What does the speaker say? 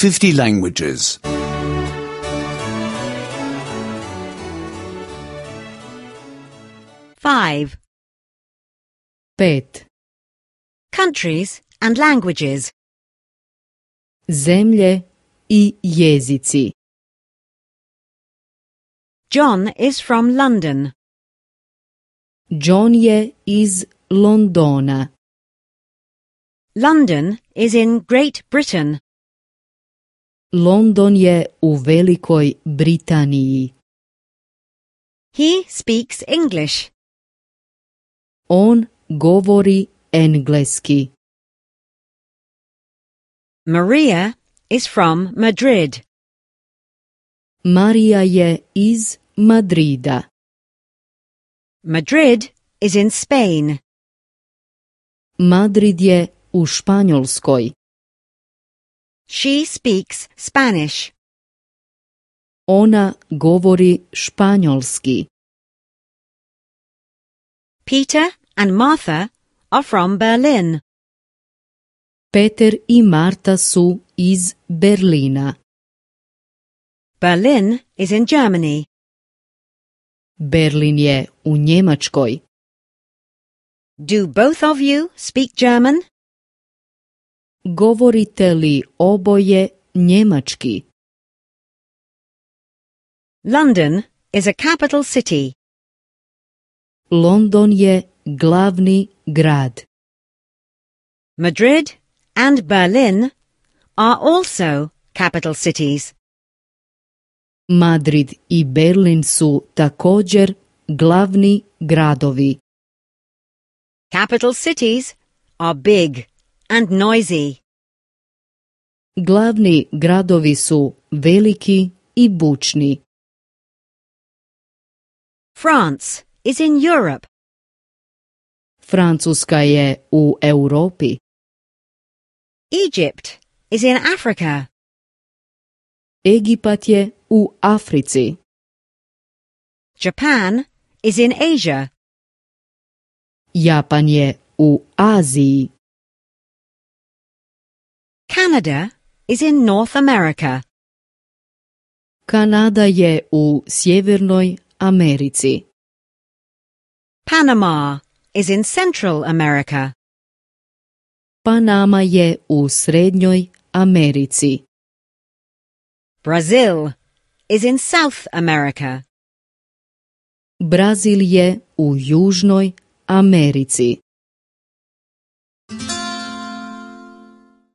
50 languages. 5. 5. Countries and languages. Zemlje i jezici. John is from London. John je iz Londona. London is in Great Britain. London je u Velikoj Britaniji. He speaks English. On govori engleski. Maria is from Madrid. Marija je iz Madrida. Madrid is in Spain. Madrid je u Španjolskoj. She speaks Spanish. Ona govori španjolski. Peter and Martha are from Berlin. Peter i Marta su iz Berlina. Berlin is in Germany. Berlin je u Njemačkoj. Do both of you speak German? Govorite li oboje njemački? London is a capital city. London je glavni grad. Madrid and Berlin are also capital cities. Madrid i Berlin su također glavni gradovi. Capital cities are big and noisy. Glavni gradovi su veliki i bučni. France is in Europe. Francuska je u Europi. Egypt is in Africa. Egipat je u Africi. Japan is in Asia. Japan je u Aziji. Canada is in North America. Kanada je u Sjevernoj Americi. Panama is in Central America. Panama je u Srednjoj Americi. Brazil is in South America. Brazil je u Južnoj Americi.